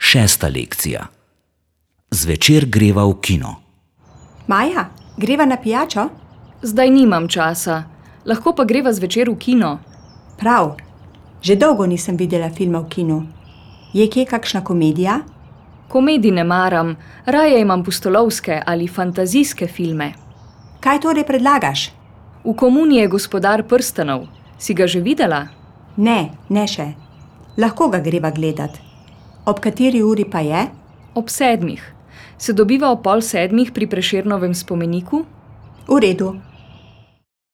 6. lekcija. Zvečer greva v kino. Maja, greva na pijačo? Zdaj nimam časa. Lahko pa greva zvečer v kino. Prav. Že dolgo nisem videla filma v kinu. Je kje kakšna komedija? Komedij ne maram, raje imam pustolovske ali fantazijske filme. Kaj torej predlagaš? V Komuni je Gospodar prstanov. Si ga že videla? Ne, ne še. Lahko ga greva gledat. Ob kateri uri pa je? Ob 7. Se dobiva ob 6:30 pri Prešernovem spomeniku? V redu.